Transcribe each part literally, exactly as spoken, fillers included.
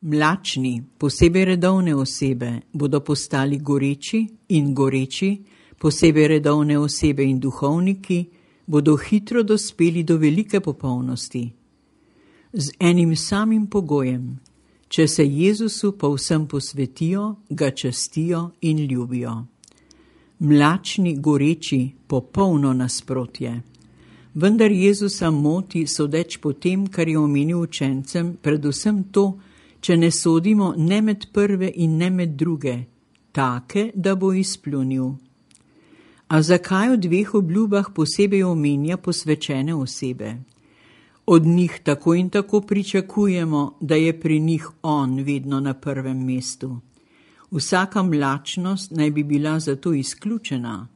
Mlačni, posebej redovne osebe, bodo postali goreči in goreči, posebej redovne osebe in duhovniki, bodo hitro dospeli do velike popolnosti. Z enim samim pogojem, če se Jezusu povsem posvetijo, ga častijo in ljubijo. Mlačni, goreči, popolno nasprotje. Vendar Jezusa moti, sodeč po tem, kar je omenil učencem, predvsem to, če ne sodimo ne med prve in ne med druge, take, da bo izpljunil. A zakaj v dveh obljubah posebej omenja posvečene osebe? Od njih tako in tako pričakujemo, da je pri njih on vedno na prvem mestu. Vsaka mlačnost naj bi bila zato izključena.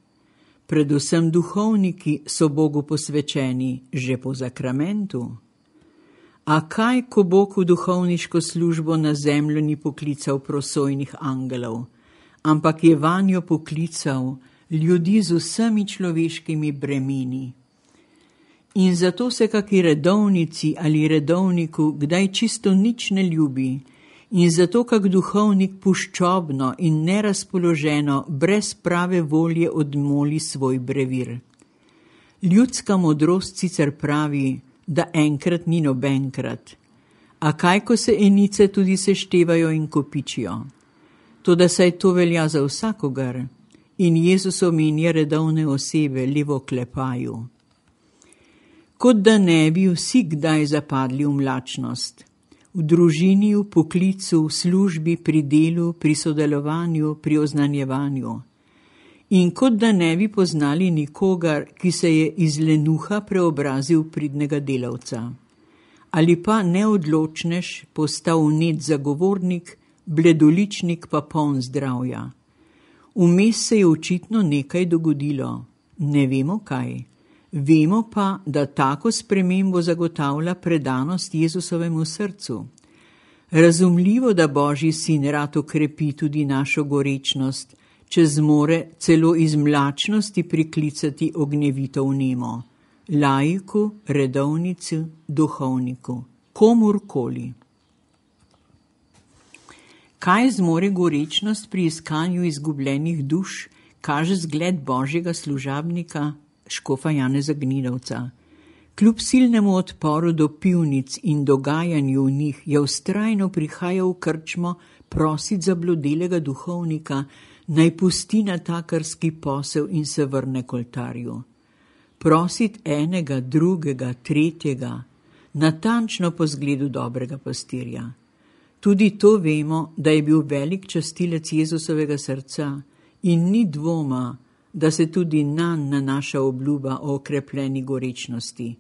Predvsem duhovniki so Bogu posvečeni že po zakramentu. A kaj, ko Bog v duhovniško službo na zemljo ni poklical prosojnih angelov, ampak je vanjo poklical ljudi z vsemi človeškimi bremeni. In zato se kaki redovnici ali redovniku kdaj čisto nič ne ljubi, in zato kak duhovnik puščobno in nerazpoloženo brez prave volje odmoli svoj brevir. Ljudska modrost sicer pravi, da enkrat ni nobenkrat, a kaj, ko se enice tudi seštevajo in kopičijo. Toda saj to velja za vsakogar, in Jezus omenja redovne osebe le v oklepaju. Kot da ne bi vsi kdaj zapadli v mlačnost. V družini, v poklicu, v službi, pri delu, pri sodelovanju, pri oznanjevanju. In kot da ne bi poznali nikogar, ki se je iz lenuha preobrazil v pridnega delavca. Ali pa neodločnež postal vnet zagovornik, bledoličnik pa poln zdravja. Vmes se je očitno nekaj dogodilo. Ne vemo kaj. Vemo pa, da tako spremembo zagotavlja predanost Jezusovemu srcu. Razumljivo, da Božji sin rad okrepi tudi našo gorečnost, če zmore celo iz mlačnosti priklicati ognjevito vnemo, laiku, redovnici, duhovniku, komurkoli. Kaj zmore gorečnost pri iskanju izgubljenih duš, kaže zgled Božjega služabnika, škofa Janeza Gnidovca. Kljub silnemu odporu do pivnic in dogajanju v njih je vztrajno prihajal v krčmo prosit zablodelega duhovnika, naj pusti natakarski posel in se vrne k oltarju. Prosit enega, drugega, tretjega, natančno po zgledu dobrega pastirja. Tudi to vemo, da je bil velik častilec Jezusovega srca in ni dvoma, da se tudi nanj nanaša obljuba o okrepljeni gorečnosti.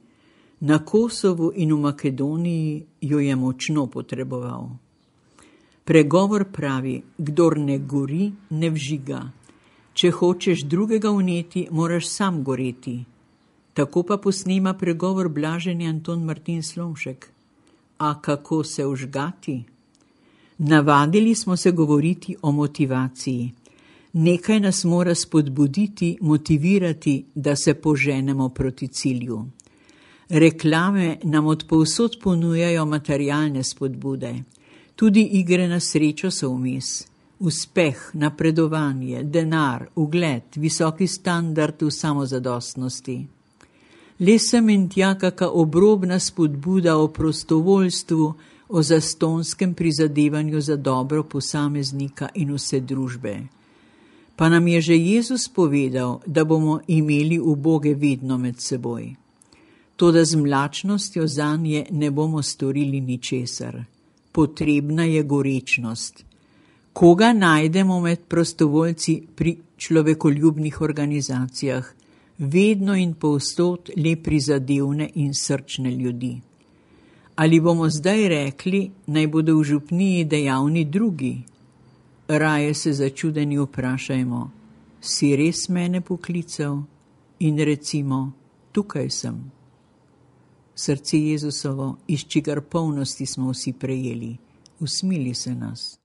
Na Kosovu in v Makedoniji jo je močno potreboval. Pregovor pravi, kdor ne gori, ne vžiga. Če hočeš drugega vneti, moraš sam goreti. Tako pa posnema pregovor blaženi Anton Martin Slomšek. A kako se vžgati? Navadili smo se govoriti o motivaciji. Nekaj nas mora spodbuditi, motivirati, da se poženemo proti cilju. Reklame nam od povsod ponujajo materialne spodbude. Tudi igre na srečo so vmes. Uspeh, napredovanje, denar, ugled, visoki standard v samozadostnosti. Le sem in tja kaka obrobna spodbuda o prostovoljstvu, o zastonskem prizadevanju za dobro posameznika in vse družbe. Pa nam je že Jezus povedal, da bomo imeli uboge vedno med seboj. Toda z mlačnostjo zanje ne bomo storili ničesar. Potrebna je gorečnost. Koga najdemo med prostovoljci pri človekoljubnih organizacijah? Vedno in povsod le prizadevne in srčne ljudi. Ali bomo zdaj rekli, naj bodo v župniji dejavni drugi? Raje se začudeni vprašajmo, si res mene poklical? In recimo, tukaj sem. Srce Jezusovo, iz čigar polnosti smo vsi prejeli, usmili se nas.